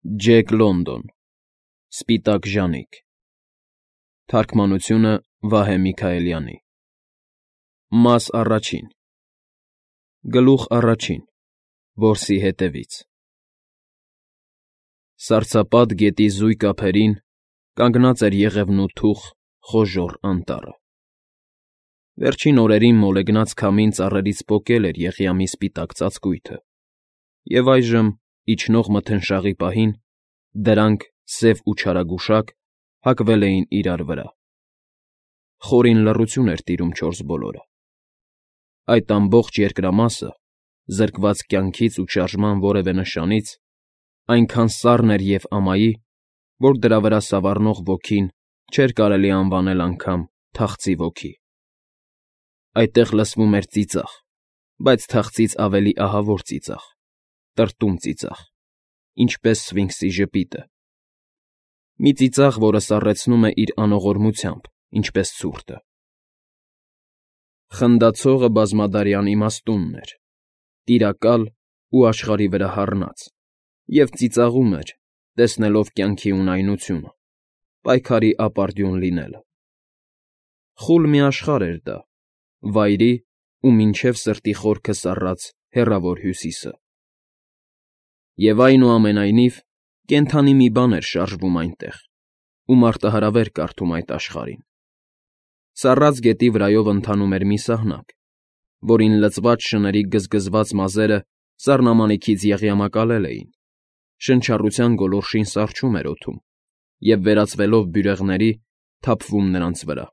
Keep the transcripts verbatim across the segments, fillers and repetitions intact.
Ջեք Լոնդոն Սպիտակ ժանիք Թարգմանությունը Վահե Միքայելյանի Մաս առաջին Գլուխ առաջին Որսի հետևից Սառցապատ գետի զույգ ափերին կանգնած էր եղևնու խոժոռ անտառը։ Վերջին օրերին մոլեգնած քամին ծառերից պոկել էր եղյամի սպիտակ ծածկույթը, և այժմ, իջնող մթնշաղի պահին, դրանք, սև ու չարագուշակ, հակվել էին իրար վրա։ Խորին լռություն էր տիրում չորս բոլորը։ Այդ ամբողջ երկրամասը, զրկված կյանքից ու շարժման որևէ նշանից, այնքան սառն էր և ամայի, որ դրա վրա սավառնող ոգին չէր կարելի անվանել անգամ թախծի ոգի։ Այդտեղ լսվում էր ծիծաղ, բայց թախծից ավելի ահավոր ծիծաղ, տրտում ծիծաղ, ինչպես սֆինքսի ժպիտը։ Մի ծիծաղ, որը սառեցնում է իր անողորմությամբ, ինչպես ցուրտը։ Խնդացողը բազմադարյան իմաստունն էր, տիրակալ ու աշխարհի վրա հառնած, և ծիծաղում էր, տեսնելով կյանքի ունայնությունը, պայքարի ապարդյուն լինելը։ Խուլ մի աշխարհ էր դա, վայրի ու մինչև սրտի խորքը սառած հեռավոր Հյուսիսը։ Եվ այնուամենայնիվ, կենդանի մի բան էր շարժվում այնտեղ, ու մարտահրավեր կարդում այդ աշխարհին։ Սառած գետի վրայով ընթանում էր մի սահնակ, որին լցված շների գզգզված մազերը սառնամանիքից եղյամակալել էին, շնչառության գոլորշին սառչում էր օդում և, վերածվելով բյուրեղների, թափվում նրանց վրա։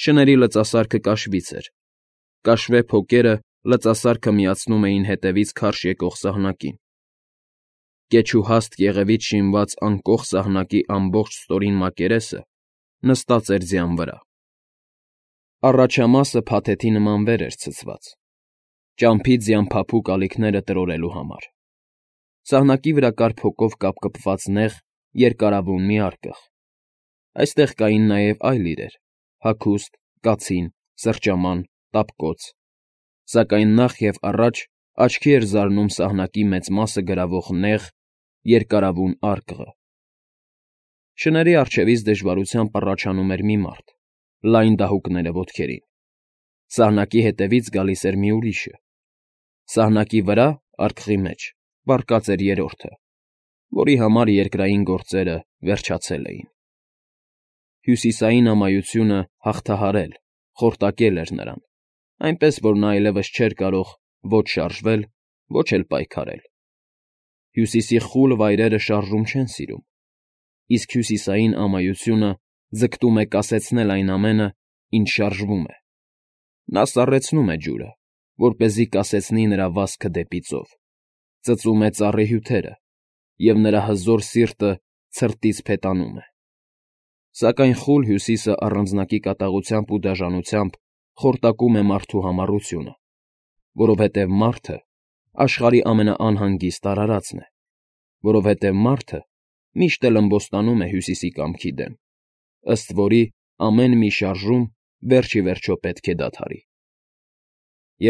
Շների լծասարքը կաշվից էր, կաշվե փոկերը լծասարքը միացնում էին հետևից քարշ եկող սահնակին։ Կեչուհաստ կեղևից շինված անկող սահնակի ամբողջ ստորին մակերեսը նստած էր ձյան վրա։ Առաջամասը փաթեթի նման վեր էր ցցված, ճամփի ձյան փափուկ ալիքները տրորելու համար։ Սահնակի վրա կար փոկով կապկպված նեղ, երկարավուն մի արկղ։ Այստեղ կային նաև այլ իրեր՝ հագուստ, կացին, սրճաման, տապկոց, սակայն նախ և առաջ աչքի էր զարնում սահնակի մեծ մասը գրավող նեղ, երկարավուն արկղը։ Շների առջևից դժվարությամբ առաջանում էր մի մարդ, լայն դահուկները ոտքերին։ Սահնակի հետևից գալիս էր մի ուրիշը։ Սահնակի վրա, արկղի մեջ, պառկած էր երրորդը, որի համար երկրային գործերը վերջացել էին։ Հյուսիսային ամայությունը հաղթահարել, խորտակել էր նրան, այնպես որ նա այլևս չէր կարող ոչ շարժվել, ոչ էլ պայքարել։ Հյուսիսի խուլ վայրերը շարժում չեն սիրում, իսկ հյուսիսային ամայությունը ձգտում է կասեցնել այն ամենը, ինչ շարժվում է։ Նա սառեցնում է ջուրը, որպեսզի կասեցնի նրա վազքը դեպի ծով, ծծում է ծառի հյութերը, և նրա հզոր սիրտը ցրտից փետանում է։ Սակայն խուլ Հյուսիսը առանձնակի կատաղությամբ ու դաժանությամբ խորտակում է մարդու համառությունը, որովհետև մարդը աշխարհի ամենաանհանգիստ արարածն է, որովհետև մարդը միշտ էլ ըմբոստանում է Հյուսիսի կամքի դեմ, ըստ որի ամեն մի շարժում վերջ ի վերջո պետք է դադարի։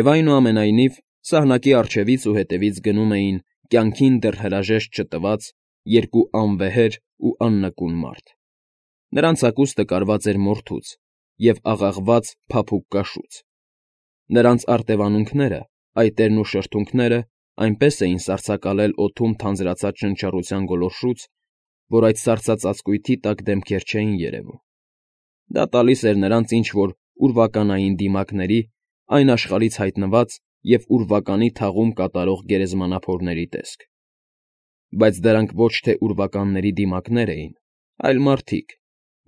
Եվ այնուամենայնիվ, սահնակի առջևից ու հետևից գնում էին կյանքին դեռ հրաժեշտ չտված երկու անվեհեր ու աննկուն մարդ։ Նրանց հագուստը կարված էր մորթուց և աղաղված փափուկ կաշուց։ Նրանց արտևանունքները, այտերն ու շրթունքները այնպես էին սառցակալել օդում թանձրացած շնչառության գոլորշուց, որ այդ սառցածածկույթի տակ դեմքեր չէին երևում։ Դա տալիս էր նրանց ինչ֊որ ուրվականային դիմակների, այն աշխարհից հայտնված և ուրվականի թաղում կատարող գերեզմանափորների տեսք։ Բայց դրանք ոչ թե ուրվականների դիմակներ էին, այլ մարդիկ,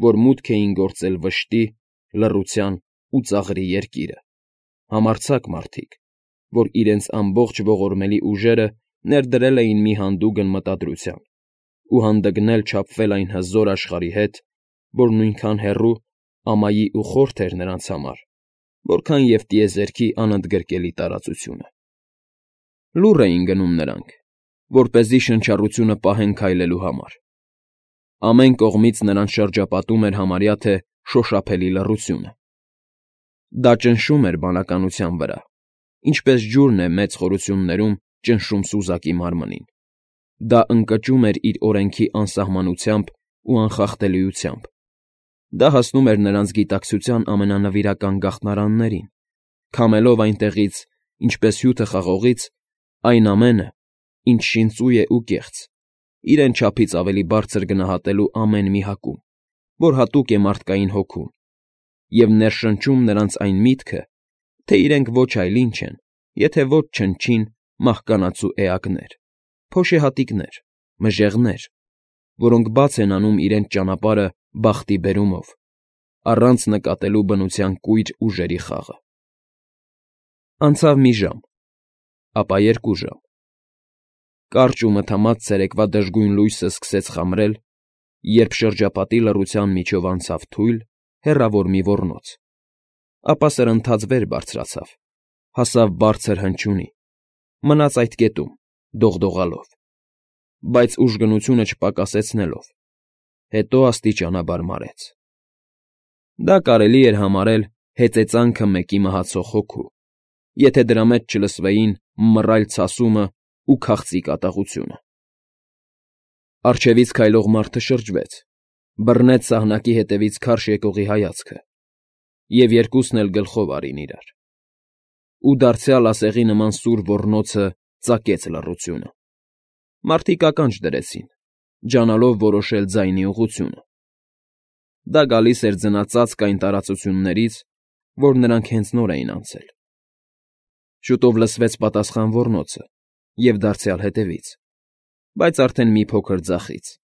որ մուտք էին գործել վշտի, լռության ու ծաղրի երկիրը, համարձակ մարդիկ, որ իրենց ամբողջ ողորմելի ուժերը ներդրել էին մի հանդուգն մտադրության ու հանդգնել չափվել այն հզոր աշխարհի հետ, որ նույնքան հեռու, ամայի ու խորթ էր նրանց համար, որքան և տիեզերքի անընդգրկելի տարածությունը։ Լուռ էին գնում նրանք, որպեսզի շնչառությունը պահեն քայլելու համար։ Ամեն կողմից նրանց շրջապատում էր համարյա թե շոշափելի լռությունը։ Դա ճնշում էր բանականության վրա, ինչպես ջուրն է մեծ խորություններում ճնշում սուզակի մարմնին, Դա ընկճում էր իր օրենքի անսահմանությամբ ու անխախտելիությամբ։ Դա հասնում էր նրանց գիտակցության ամենանվիրական գաղտնարաններին, քամելով այնտեղից, ինչպես հյութը խաղողից, այն ամենը, ինչ շինծույ է ու կեղծ, իրեն չափից ավելի բարձր գնահատելու ամեն մի հակում, որ հատուկ է մարդկային հոգուն, և ներշնչում նրանց այն միտքը, թե իրենք ոչ այլ ինչ են, եթե ոչ չնչին մահկանացու էակներ, փոշեհատիկներ, մժեղներ, որոնք բաց են անում իրենց ճանապարհը բախտի բերումով, առանց նկատելու բնության կույր ուժերի խաղը։ Անցավ մի ժամ, ապա երկու ժամ։ Կարճ ու մթամած ցերեկվա դժգույն լույսը սկսեց խամրել, երբ շրջապատի լռության միջով անցավ թույլ, հեռավոր մի ոռնոց, ապա սրընթաց վեր բարձրացավ, հասավ բարձր հնչյունի, մնաց այդ կետում, դողդողալով, բայց ուժգնությունը չպակասեցնելով, հետո աստիճանաբար մարեց։ Դա կարելի էր համարել հեծեծանքը մեկի մահացող հոգու, եթե դրա մեջ չլսվեին մռայլ ցասումն ու քաղցի կատաղությունը։ Առջևից քայլող մարդը շրջվեց, բռնեց սահնակի հետևից քարշ եկողի հայացքը և երկուսն էլ գլխով արին իրար, ու դարձյալ ասեղի նման սուր ոռնոցը ծակեց լռությունը։ Մարդիկ ականջ դրեցին, ջանալով որոշել ձայնի ուղղությունը։ Դա գալիս էր ձնածածկ այն տարածություններից, որ նրանք հենց նոր էին անցել։ Շուտով լսվեց պատասխան ոռնոցը և դարձյալ հետևից, բայց արդեն մի փոքր ձախից։ ֊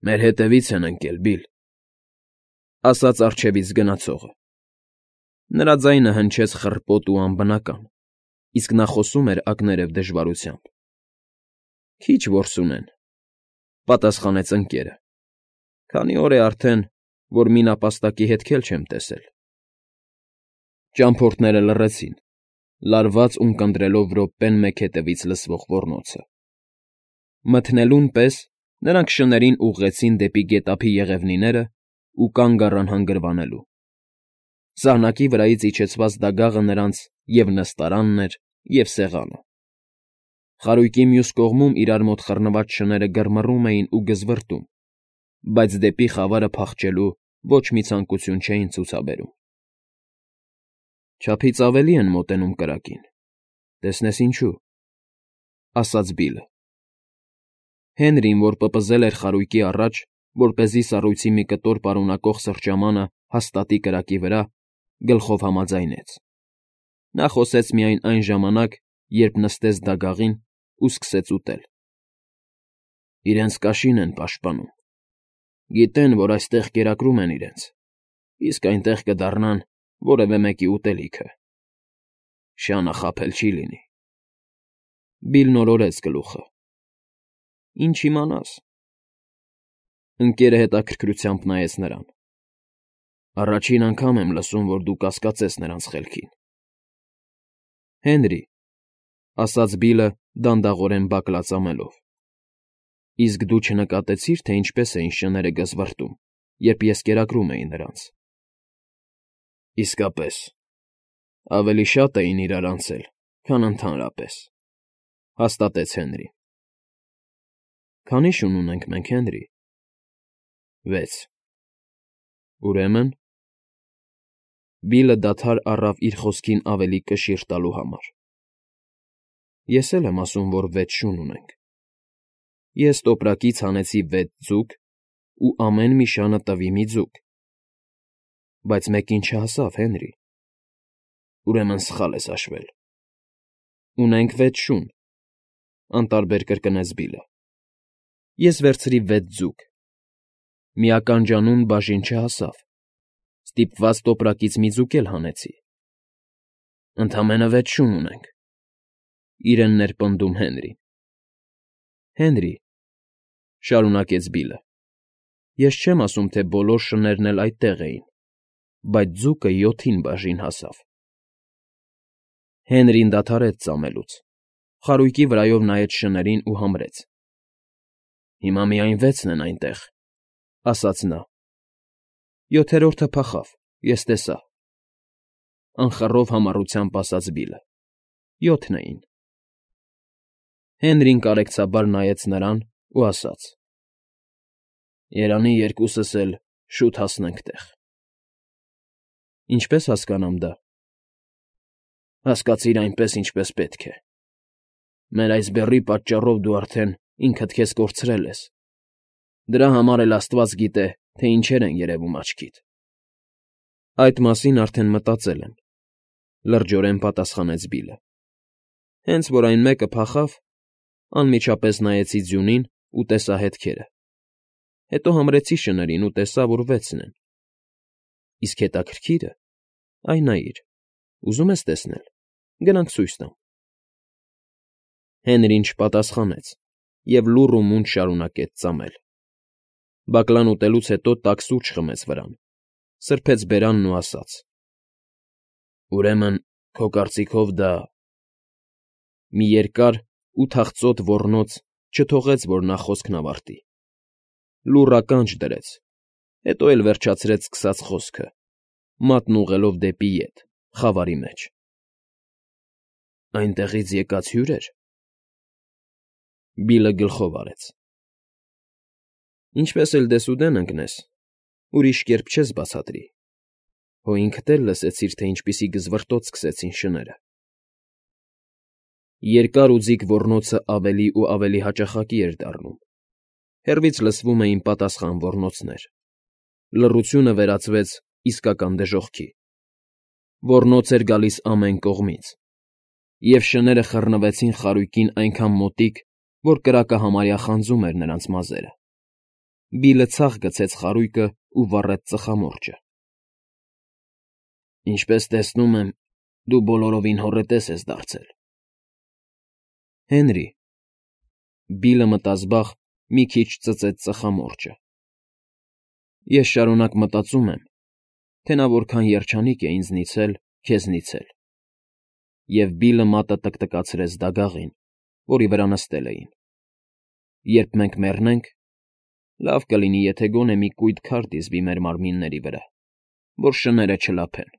Մեր հետևից են ընկել, Բիլլ,֊ ասաց առջևից գնացողը։ Նրա ձայնը հնչեց խռպոտ ու անբնական, իսկ նա խոսում էր ակներև դժվարությամբ։ ֊ Քիչ որս ունեն,֊ պատասխանեց ընկերը,֊ քանի օր է արդեն, որ մի նապաստակի հետք էլ չեմ տեսել։ Ճամփորդները լռեցին, լարված ունկնդրելով րոպեն մեկ հետևից լսվող ոռնոցը։ Մթնելուն պես նրանք շներին ուղղեցին դեպի գետափի եղևնիներն ու կանգ առան հանգրվանելու։ Սահնակի վրայից իջեցված դագաղը նրանց և՛ նստարանն էր, և՛ սեղանը։ Խարույկի մյուս կողմում իրար մոտ խռնված շները գրմռում էին ու գզվռտում, բայց դեպի խավարը փախչելու ոչ մի ցանկություն չէին ցուցաբերում։ ֊ Չափից ավելի են մոտենում կրակին, տեսնես ինչու,֊ ասաց Բիլլը։ Հենրին, որ պպզել էր խարույկի առաջ, որպեսզի սառույցի մի կտոր պարունակող սրճամանը հաստատի կրակի վրա, գլխով համաձայնեց։ Նա խոսեց միայն այն ժամանակ, երբ նստեց դագաղին ու սկսեց ուտել։ ֊ Իրենց կաշին են պաշտպանում։ Գիտեն, որ այստեղ կերակրում են իրենց, իսկ այնտեղ կդառնան որևէ մեկի ուտելիքը։ Շանը խաբել չի լինի։ Բիլլն օրորեց գլուխը։ ֊ Ինչ իմանաս։ Ընկերը հետաքրքրությամբ նայեց նրան։ Առաջին անգամ եմ լսում, որ դու կասկածես նրանց խելքին։ ֊ Հենրի,֊ ասաց Բիլլը դանդաղորեն բակլածամելով,֊ իսկ դու չնկատեցի՞ր, թե ինչպես էին շները գզվռտում, երբ ես կերակրում էի նրանց։ ֊ Իսկապես, ավելի շատ էին իրար անցել, քան ընդհանրապես,֊ հաստատեց Հենրին։ ֊ Քանի՞ շուն ունենք մենք, Հենրի։ ֊ Վեց։ ֊ Ուրեմն… Բիլլը դադար առավ իր խոսքին ավելի կշիռ տալու համար։ ֊ Ես էլ եմ ասում, որ վեց շուն ունենք։ Ես տոպրակից հանեցի վեց ձուկ, ու ամեն մի շանը տվի մի ձուկ։ Բայց մեկին չհասավ, Հենրի։ ֊ Ուրեմն սխալ ես հաշվել։ ֊ Ունենք վեց շուն,֊ անտարբեր կրկնեց Բիլլը։ Ես վերցրի վեց ձուկ։ Մի ականջանուն բաժին չհասավ, ստիպված տոպրակից մի ձուկ էլ հանեցի։ ֊ Ընդամենը վեց շուն ունենք,֊ իրեն ներպնդում Հենրին։ ֊ Հենրի,֊ շարունակեց Բիլլը,֊ ես չեմ ասում, թե բոլոր շներն էլ այդտեղ էին, բայց ձուկը յոթին բաժին հասավ։ Հենրին դադարեց ծամելուց, խարույկի վրայով նայեց շներին ու համրեց։ ֊ Հիմա միայն վեցն են այնտեղ,֊ ասաց նա։ ֊ Յոթերորդը փախավ, ես տեսա,֊ անխռով համառությամբ ասաց Բիլլը,֊ յոթն էին։ Հենրին կարեկցաբար նայեց նրան ու ասաց. Երանի երկուսս էլ շուտ հասնենք տեղ։ Ինչպե՞ս հասկանամ դա։ Հասկացիր այնպես, ինչպես պետք է։ Մեր այս բեռի պատճառով դու արդեն ինքդ քեզ կորցրել ես։ Դրա համար էլ աստված գիտե, թե ինչեր են երևում աչքիդ։ Այդ մասին արդեն մտածել եմ,֊ լրջորեն պատասխանեց Բիլլը։ Հենց որ այն մեկը փախավ, անմիջապես նայեցի ձյունին ու տեսա հետքերը։ Հետո համրեցի շներին ու տեսա, որ վեցն են։ Իսկ հետաքրքիրը, այ նայիր, ուզում ես տեսնել, գնանք ցույց տամ։ Հենրին չպատասխանեց և լուռ ու մունջ շարունակեց ծամել։ Բակլան ուտելուց հետո տաք սուրճ խմեց վրան, սրբեց բերանն ու ասաց. Ուրեմն, քո կարծիքով դա… Մի երկար ու թախծոտ ոռնոց չթողեց, որ նա խոսքն ավարտի։ Լուռ ականջ դրեց, հետո էլ վերջացրեց սկսած խոսքը, մատն ուղղելով դեպի ետ, խավարի մեջ. Այնտեղից եկած հյո՞ւր էր։ Բիլլը գլխով արեց։ Ինչպես էլ դեսուդեն ընկնես, ուրիշ կերպ չես բացատրի։ Հո ինքդ էլ լսեցիր, թե ինչպիսի գզվռտոց սկսեցին շները։ Երկար ու ձիգ ոռնոցը ավելի ու ավելի հաճախակի էր դառնում։ Հեռվից լսվում էին պատասխան ոռնոցներ։ Լռությունը վերածվեց իսկական դժոխքի։ Ոռնոց էր գալիս ամեն կողմից, և շները խռնվեցին խարույկին այնքան մոտիկ, որ կրակը համարյա խանձում էր նրանց մազերը։ Բիլլը ցախ գցեց խարույկը ու վառեց ծխամորճը։ Ինչպես տեսնում եմ, դու բոլորովին հոռետես ես դարձել։ Հենրի… Բիլլը մտազբաղ մի քիչ ծծեց ծխամորճը։ Ես շարունակ մտածում եմ, թե նա որքան երջանիկ է ինձնից էլ, քեզնից էլ։ Եվ Բիլլը մատը տկտկացրեց դագաղին, որի վրա նստել էին։ Երբ մենք մեռնենք, լավ կլինի, եթե գոնե մի կույտ քար դիզվի մեր մարմինների վրա, որ շները չլափեն։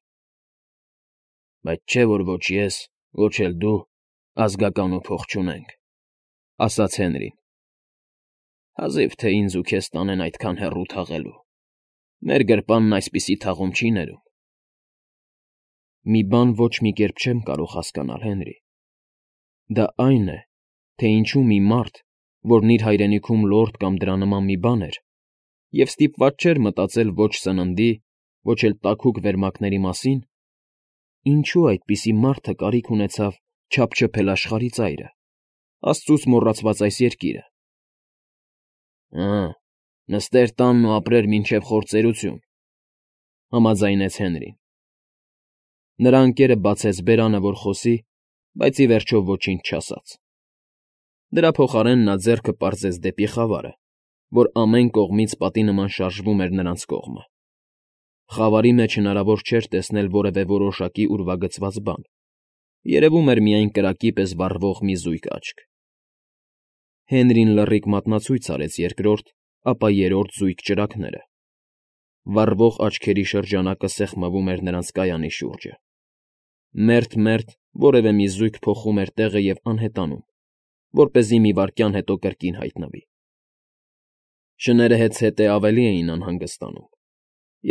Բայց չէ՞ որ ոչ ես, ոչ էլ դու ազգական ու փող չունենք,֊ ասաց Հենրին։ Հազիվ թե ինձ ու քեզ տանեն այդքան հեռու թաղելու։ Մեր գրպանն այսպիսի թաղում չի ներում։ Մի բան ոչ մի կերպ չեմ կարող հասկանալ, Հենրի։ Դա այն է, թե ինչու մի մարդ, որն իր հայրենիքում լորդ կամ դրա նման մի բան էր, և ստիպված չէր մտածել ոչ սննդի, ոչ էլ տաքուկ վերմակների մասին, ինչու այդպիսի մարդը կարիք ունեցավ չափչփել աշխարհի ծայրը, աստծուց մոռացված այս երկիրը։ Հը՛, նստեր տանն ու ապրեր մինչև խործերություն,֊ համաձայնեց Հենրին։ Նրա ընկերը բացեց բերանը, որ խոսի, բայց ի վերջո ոչինչ չասաց։ Դրա փոխարեն նա ձեռքը պարզեց դեպի խավարը, որ ամեն կողմից պատի նման շարժվում էր նրանց կողմը։ Խավարի մեջ հնարավոր չէր տեսնել որևէ որոշակի ուրվագծված բան, երևում էր միայն կրակի պես վառվող մի զույգ աչք։ Հենրին լռիկ մատնացույց արեց երկրորդ, ապա երրորդ զույգ ճրագները։ Վառվող աչքերի շրջանակը սեղմվում էր նրանց կայանի շուրջը։ Մերթ֊մերթ որևէ մի զույգ փոխում էր տեղը և անհետանում, որպեսզի մի վայրկյան հետո կրկին հայտնվի։ Շները հետզհետե ավելի էին անհանգստանում,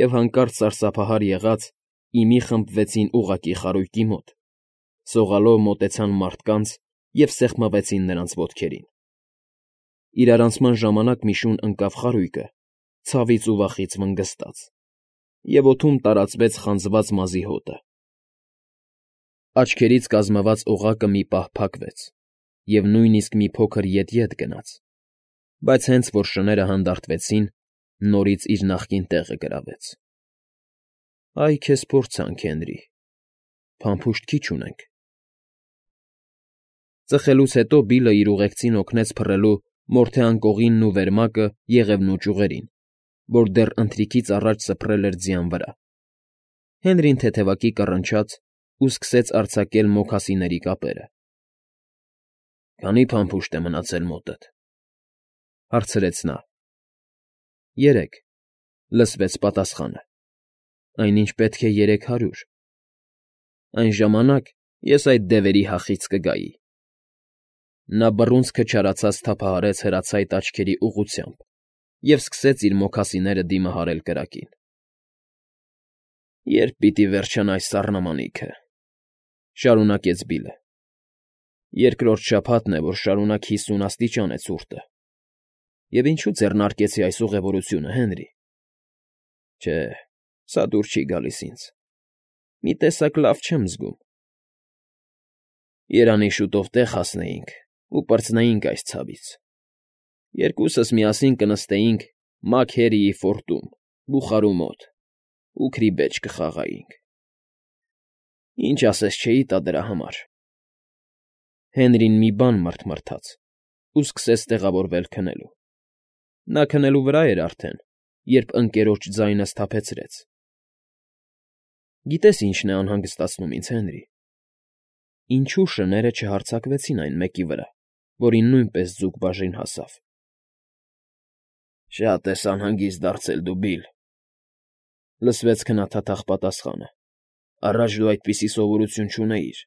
և հանկարծ սարսափահար եղած, ի մի խմբվեցին ուղղակի խարույկի մոտ, սողալով մոտեցան մարդկանց և սեղմվեցին նրանց ոտքերին։ Իրարանցման ժամանակ մի շուն ընկավ խարույկը, ցավից ու վախից վնգստած, և օդում տարածվեց խանձված մազի հոտը։ Աչքերից կազմված օղակը մի պահ փակվեց և նույնիսկ մի փոքր ետ֊ետ գնաց, բայց հենց որ շները հանդարտվեցին, նորից իր նախկին տեղը գրավեց։ Այ քեզ փորձանք, Հենրի, փամփուշտ քիչ ունենք։ Ծխելուց հետո Բիլլը իր ուղեկցին օգնեց փռելու մորթե անկողինն ու վերմակը եղևնու ճյուղերին, որ դեռ ընթրիքից առաջ սփռել էր ձյան վրա։ Հենրին թեթևակի կռնչաց ու սկսեց արձակել մոքասիների կապերը։ Քանի՞ փամփուշտ է մնացել մոտդ,֊ հարցրեց նա։ Երեք,֊ լսվեց պատասխանը։ Այնինչ պետք է երեք հարյուր։ Այն ժամանակ ես այդ դևերի հախից կգայի։ Նա բռունցքը չարացած թափահարեց հրացայտ աչքերի ուղղությամբ և սկսեց իր մոքասիները դիմահարել կրակին։ «Ե՞րբ պիտի վերջանա այս սառնամանիքը,֊ շարունակեց Բիլլը։ «Երկրորդ շաբաթն է, որ շարունակ հիսուն աստիճան է ցուրտը։ Եվ ինչու ձեռնարկեցի այս ուղևորությունը, Հենրի։ Չէ, սա դուր չի գալիս ինձ, մի տեսակ լավ չեմ զգում։ Երանի շուտով տեղ հասնեինք ու պրծնեինք այս ցավից, երկուսս միասին կնստեինք Մաքհերիի ֆորտում, բուխարու մոտ ու քրիբեջ կխաղայինք։ Ինչ ասես չէի տա դրա համար»։ Հենրին մի բան մռթմռթաց ու սկսեց տեղավորվել քնելու։ Նա քնելու վրա էր արդեն, երբ ընկերոջ ձայնը սթափեցրեց։ «Գիտես ինչն է անհանգստացնում ինձ, Հենրի, ինչու շները չհարձակվեցին այն մեկի վրա, որին նույնպես ձուկ բաժին հասավ»։ «Շատ ես անհանգիստ դարձել դու, Բիլլ,֊ լսվեց քնաթաթախ պատասխանը։֊ Առաջ դու այդպիսի սովորություն չունեիր,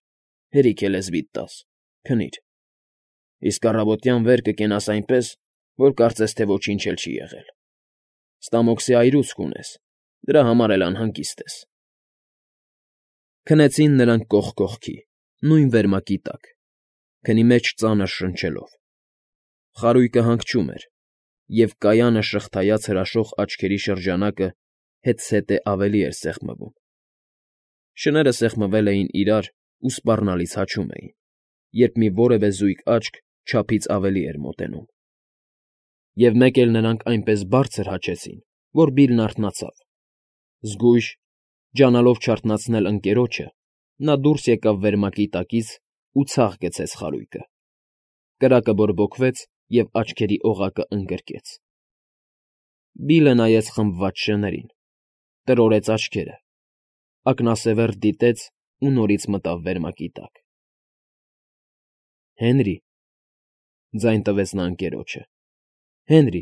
հերիք է լեզվիդ տաս, քնիր, իսկ առավոտյան վեր կկենաս այնպես, որ կարծես թե ոչինչ էլ չի եղել։ Ստամոքսի այրուցք ունես, դրա համար էլ անհանգիստ ես»։ Քնեցին նրանք կողք կողքի, նույն վերմակի տակ, քնի մեջ ծանր շնչելով։ Խարույկը հանգչում էր, և կայանը շղթայած հրաշող աչքերի շրջանակը հետզհետե ավելի էր սեղմվում։ Շները սեղմվել էին իրար ու սպառնալից հաչում էին, երբ մի որևէ զույգ աչք չափից ավելի էր մոտենում։ Եվ մեկ էլ նրանք այնպես բարձր հաչեցին, որ Բիլլն արթնացավ։ Զգույշ, ջանալով չարթնացնել ընկերոջը, նա դուրս եկավ վերմակի տակից ու ցախ գցեց խարույկը։ Կրակը բորբոքվեց և աչքերի օղակը ընկրկեց։ Բիլլը նայեց խմբված շներին, տրորեց աչքերը, ակնասևեռ դիտեց ու նորից մտավ վերմակի տակ։ ֊ Հենրի,֊ ձայն տվեց նա ընկերոջը,֊ Հենրի…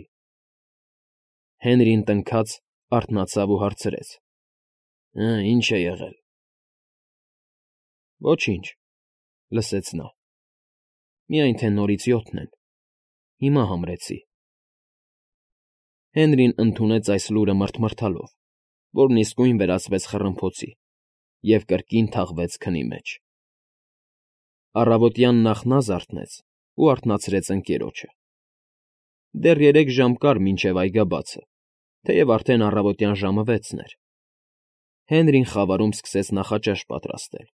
Հենրին տնքաց, արթնացավ ու հարցրեց. «Հը, ի՞նչ է եղել»։ ֊ Ոչինչ,֊ լսեց նա,֊ միայն թե նորից յոթն են, հիմա համրեցի»։ Հենրին ընդունեց այս լուրը մռթմռթալով, որն իսկույն վերածվեց խռմփոցի և կրկին թաղվեց քնի մեջ։ Առավոտյան նախ նա զարթնեց ու արթնացրեց ընկերոջը։ Դեռ երեք ժամ կար մինչև այգաբացը, թեև արդեն առավոտյան ժամը վեցն էր։ Հենրին խավարում սկսեց նախաճաշ պատրաստել,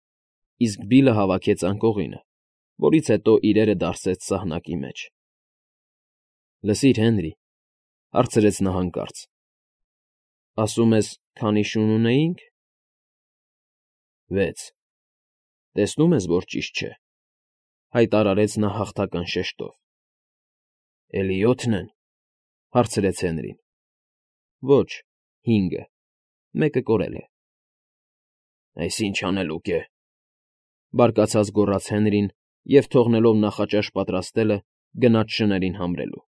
իսկ Բիլլը հավաքեց անկողինը, որից հետո իրերը դարսեց սահնակի մեջ։ ֊ Լսիր, Հենրի,֊ հարցրեց նա հանկարծ,֊ ասում ես, քանի շուն ունեինք։ ֊ Վեց։ Տեսնում ես, որ ճիշտ չէ,֊ հայտարարեց նա հաղթական շեշտով։ ֊ Էլի յոթն են,֊ հարցրեց Հենրին։ ֊ Ոչ, հինգը, մեկը կորել է։ ֊ Այս ի՞նչ անելուկ է,֊ բարկացած գոռաց Հենրին և, թողնելով նախաճաշ պատրաստելը, գնաց շներին համրելու։ ֊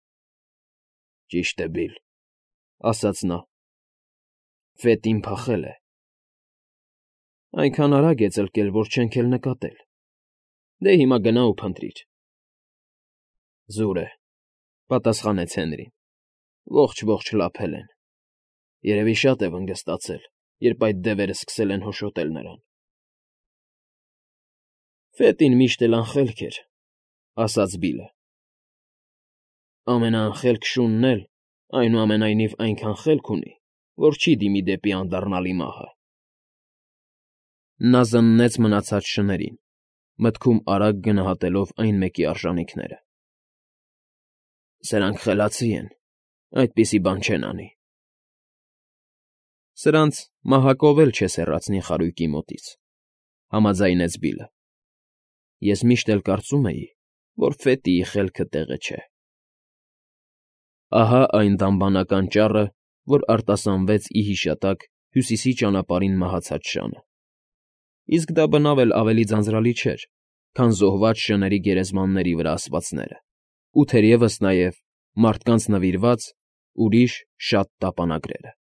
Ճիշտ է, Բիլլ,֊ ասաց նա,֊ ֆետին փախել է։ ֊ Այնքան արագ է ծլկել, որ չենք էլ նկատել։ Դե հիմա գնա ու փնտրիր։ ֊ Զուր է,֊ պատասխանեց Հենրին,֊ ողջ֊ողջ լափել են։ Երևի շատ է վնգստացել, երբ այդ դևերը սկսել են հոշոտել նրան։ ֊ Ֆետին միշտ էլ անխելք էր,֊ ասաց Բիլլը։ ֊ Ամենաանխելք շունն էլ, այնուամենայնիվ, այնքան խելք ունի, որ չի դիմի դեպի անդառնալի մահը։ Նա զննեց մնացած շներին, մտքում արագ գնահատելով այն մեկի արժանիքները։ Սրանք խելացի են, այդպիսի բան չեն անի։ ֊ Սրանց մահակով էլ չես հեռացնի խարույկի մոտից,֊ համաձայնեց Բիլլը։ ֊ Ես միշտ էլ կարծում էի, որ Ֆետիի խելքը տեղը չէ։ Ահա այն դամբանական ճառը, որ արտասանվեց ի հիշատակ Հյուսիսի ճանապարհին մահացած շանը։ Իսկ դա բնավ էլ ավելի ձանձրալի չէր, քան զոհված շների գերեզմանների վրա ասվածները ու թերևս նաև մարդկանց նվիրված ուրիշ շատ տապանագրերը։